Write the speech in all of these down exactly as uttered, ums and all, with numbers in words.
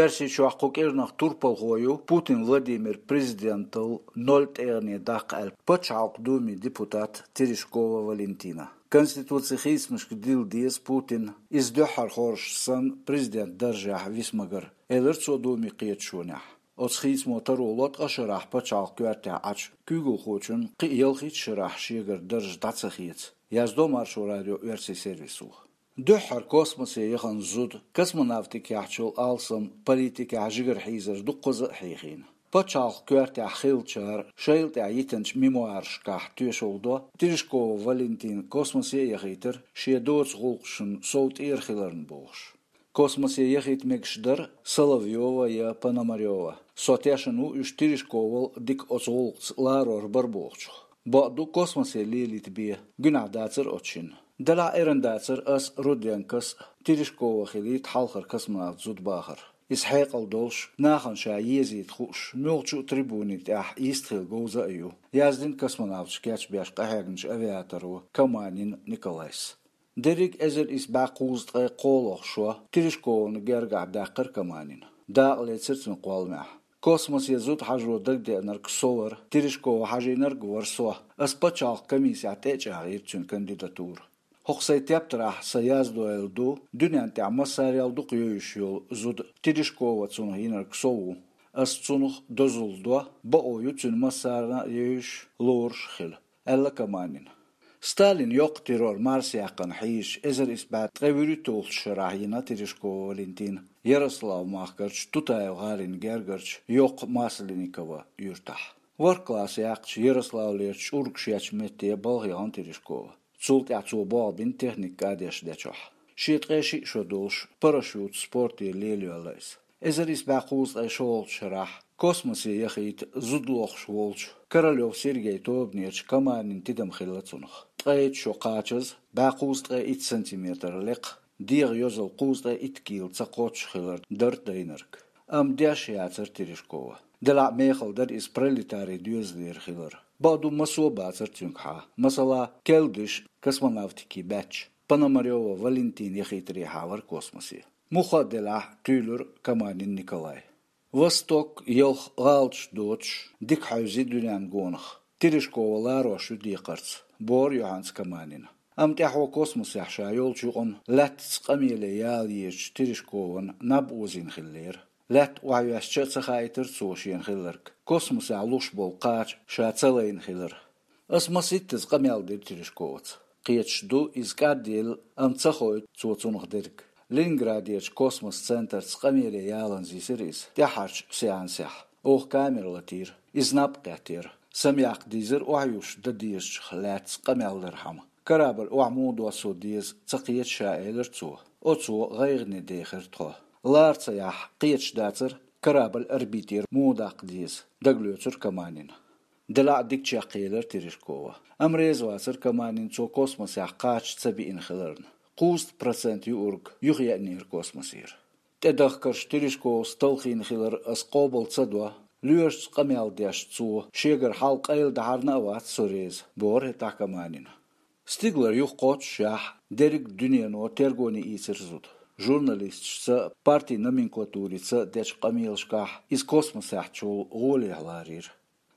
Оьрсийчохь кху кӀиранах турпалхо ю Путин Владимир президентал ноль тӀегӀане даккха аьлла Пачхьалкхан Думин депутат Терешкова Валентина. Конституцин хийцамашка дилла деза Путинна, иза дуьххьара хоржуш санна президент даржехь виса ма-гарра, элира цо Думин кхеташонехь. Оцу хийцамо таро ло ткъа шарахь пачхьалкхан коьртехь Ӏачу куьйгалхочун кхин а ялхитта шарахь шегара дарж дӀа ца хеца, яздо Маршо радион оьрсийн сервисо. Дуьххьара космосе яхана зуда, космонавтикехь йолу алсам, политикехь жигара хьийзар дуккхаза а хьийхийна. Пачхьалкхан коьртехь хиллачара шайла тӀехь йитинчу мемуарашкахь тоьшалла до, Терешкова Валентина космосе а яхийтира, шен доцу гӀуллакхашна сов тӀера хиларна бохуш. Космосе яхийта мегаш дара Соловьёва я Пономарёва. Со тешна ву уьш Терешковал дика оцу гӀуллакхца ларор бара бохучух. Бакъду, космосе лелийта бен гуьнахь дацара оцу шинна. Делахь эрна дацара ас, Руденкос а, Терешкова хилийта хьалхара космонавт зуда бахар. Иза хьекъал долуш, нахана ша езийта хууш, муьлххачу а трибунийн тӀехь йистхила говза а ю, яздина космонавташ кечбеш къахьегначу авиаторо Каманин Николайс. Дерриг эзар исс бӀе кхузткъе кхоалгӀа шо Терешкована гергахь даьккхира Каманина. Дакъа лецира цуьнан кхолламехь. Космосе зуда хьажо дагадеанарг со вара, Терешкова хьажийнарг а вара со. Ас пачхьалкхан комиссехь тӀе а чӀагӀйира цуьнан кандидатура. ХӀокху сайн тептарехь сан яздойла ду дуьнен тӀехь массарел дукха йовзуш йолу зуда Терешкова цунах йинарг со ву. Ас цунах дозалла до, бакъо ю цуьнан массарна а йовзуш, лоруш а хила, аьлла Каманина. Сталинан йоккха террор марсаяьккхина хьийзачу эзар исс бӀе ткъе вуьрхӀитталгӀачу шарахь йина Терешкова Валентина Ярославн махкарчу Тутаев гӀалин гергарчу йоккха Масленниково юьртахь. ВорхӀ класс яьккхича Ярославлера чӀург шечу метте балха яхана Терешкова. Цул тӀаьхьа цо болх бина техника кӀадеш дечохь. Шен ткъе шиъ шо долуш парашют спорте лелайоьлла иза. Эзар исс бӀе кхузткъе шолгӀачу шарахь космосе яхийта зуда лохуш волчу Королёв Сергейн тобанерчу Каманина тидам хилла цунах. Ткъе итт шо кхачаза, бӀе кхузткъе итт сантиметр лекха, дегӀан йозалла кхузткъе итт кила ца кхоччуш хилар дара дайнарг. Амма деш яцара Терешкова. Делахь а мехала дара иза пролетарийн доьзалера хилар. Бакъду, массо а бацара цуьнгахьа. Масала, Келдыш космонавтикин баьчча, Пономарёва Валентина яхийтарехьа вара космосе. Муха а делахь, туьйлира Каманин Николай. Восток, ялх гӀалаташ доцуш, дика хьаьвзи дуьненна гонах. Терешкова ларош ю декхарца, бохура юьхьанца Каманина. Амма тӀаьхьо космосехь ша йолчу юкъана лаьттаца къамеле яла езачу Терешкована наб озийна хиллера. Лаьтта охьайоьссича а ца хаийтира цо шена хилларг, космосехь луш болу кхача ша ца лайна хилар. Ас масийттаза къамел дира Терешковаца. Кхеташ ду, иза кӀадъелла, амма ца хоуьйту цо цунах дерг. Ленинградерчу космос центрца къамеле яланза йисира иза тӀаьххьарчу сеансехь. Оха камера латийра. Иза наб кхеттера. Самаяккха дийзира охьаюьсуш дан дезачух лаьцна къамел дархьама. Корабль охьа муха доссо деза ца кхета ша, элира цо. Оцо гӀайгӀане дехира тхо. Лара ца яхь, кхеташ дацара, корабль орбитера муха даккха деза, дагалоьцура Каманина. Делахь а дика чекхъелира Терешкова. Амма реза вацара Каманин цо космосехь кхача ца биъна хиларна. Кхузткъа процент юург юхаеанера космосера. ТӀедахкарш Терешковас талхийна хилар ас къобал ца до, лоьрашца къамел деш цо шегара хьал къайладахьарна а вац со реза, бохура хӀетахь Каманина. Стигалара юха кхоччушехь, дерриг а дуьнено тергоне ийцира зуда. Журналисташца, партин номенклатурица дечу къамелашкахь иза космосехь чул гӀолехь ларийра.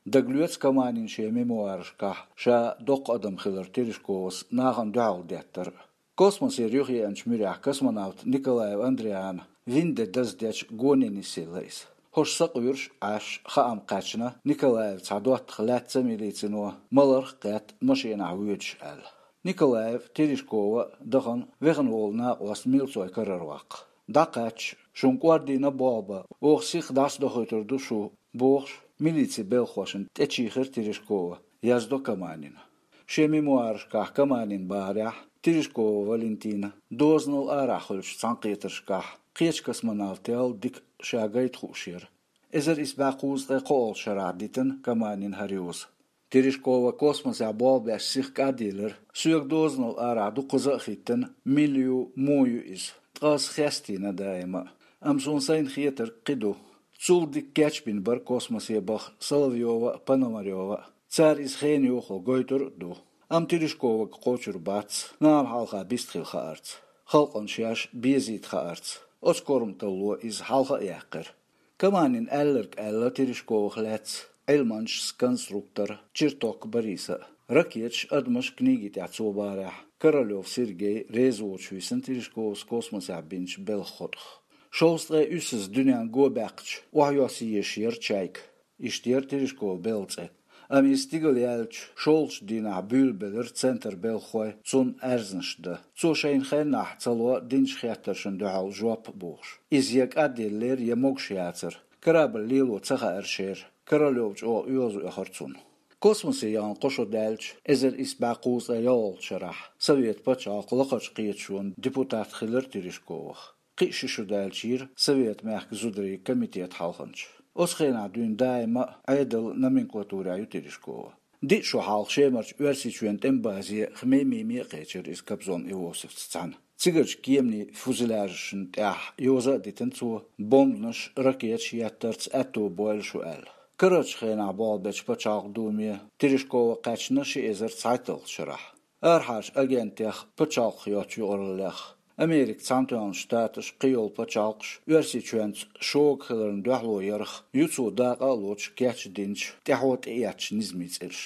Дагалоьцу Каманина шен мемуарашкахь ша доккха адам хилар Терешковас нахана дуьхьал деттар. Космосера юхаеанчу муьрехь космонавт Николаев Андриана вина де даздечу гоне нисъелла иза. ХӀорш сакъоьруш Ӏаш, хаам кхаьчна, Николаев цхьа доттагӀа лаьцна милицино маларх а кхетта машенахь воьдуш аьлла. Николаев, Терешкова а дахана вехана волу накъост милцой карара ваккха. ДӀакхаьчча, шуна кӀордийна болх бан, оха сиха дӀасадохуьйтур ду шу, бохуш, милицин белхахошна тӀечийхира Терешкова, яздо Каманина. Шен мемуарашкахь Каманина бахарехь, Терешкова Валентина дозанал арахь хуьлучу цхьаьнакхетаршкахь кхечу космонавтел дика ша гайта хууш яра. Эзар исс бӀе кхузткъе кхоалгӀачу шарахь дитина Каманина хӀара йоза. Терешкова космосехь болх беш сиха кӀадъелира, соьга дозанал арахь дуккхаза а хӀиттина, мила ю, муха ю иза. Ткъа ас хестийна даима а. Амма суна сайна хетарг кхин ду. Цул дика кечбина бара космосе баха Соловьёва а, Пономарёва а. Цара иза хенан юххе гойтур а ду. Амма Терешковага кхочур бац, нахана хьалха бистхила хаарца, халкъана шаьш безийта хаарца. Оцу корматалло иза хьалха а яьккхира. Каманин аьлларг аьлла Терешковах лаьцна Ӏилманчас конструктор Черток Бориса а. Ракеташ, адамаш книги тӀехь цо бахарехь, Королёв Сергей реза воцуш висина Терешковас космосехь бинчу белхан хотӀах. Шовзткъе уьссаза дуьненна го баьккхича, охьайосса езаш яра «Чайка». Иштта яра Терешкован белхан цӀе. Амма иза стигала яьлча, шолгӀачу дийнахь буьйлабелира центран белхахой цунна аьрзнаш дан. Цо шайна хеннахь ца ло динчу хеттаршна дуьхьал жоп а бохуш. Иза я кӀадъеллера, я могуш яцара. Корабль лело ца хаьара шера. Королёв чӀогӀа оьгӀаз оьхура цунна. Космосе яхана кхо шо даьлча, эзар исс бӀе кхузткъе ялхалгӀачу шарахь, Совет пачхьалкхан лакхарчу кхеташонан депутат хилира Терешковах. Кхин а ши шо даьлча йира Совет мехкан зударийн комитетан хьалханча. Оцу хенахь дуьйна даима а Ӏедалан номенклатурехь ю Терешкова. Диъ шо хьалха Шемарчу Оьрсийчоьнан тӀеман базе Хмеймиме а кхечира иза Кобзон Иосифца цхьаьна. Цигарчу кеманийн фюзеляжашна тӀехь йоза а дитина цо, бомбанаш, ракеташ еттарца аьтто бойла шу аьлла. Карарчу хенахь болх бечу пачхьалкхан думе Терешкова кхаьчна ши эзар цхьайтталгӀачу шарахь. Арахьарчу агентех пачхьалкхах йоцчу юкъараллех, Американ Цхьаьнатоьхначу Штаташ, кхийолу пачхьалкхаш Оьрсийчоьнца шога хиларна дуьхьало ярх ю цо дакъа а лоцуш кечдинчу, тӀаьхьо тӀеэцначу низамийн цӀераш.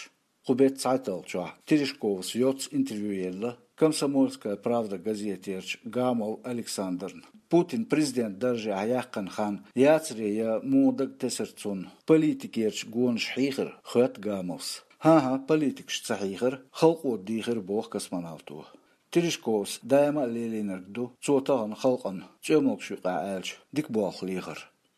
Кху беттан цхьайтталгӀачохь Терешковас йоцца интервью елла «Комсомольская правда» газетерчу Гамов Александрна. Путин президент даржехь яьккхина хан яцаре я муха дага тесира цунна, политикерчу гонаш хьийхира, хоьтту Гамовс. ХӀан-хӀа, политикаш ца хьийхира, халкъо дийхира, боху космонавто. Терешковс даима а лелийнарг ду цо тахана халкъана, цӀоьмалгаш юкъахь аьлча, дика болх лехар.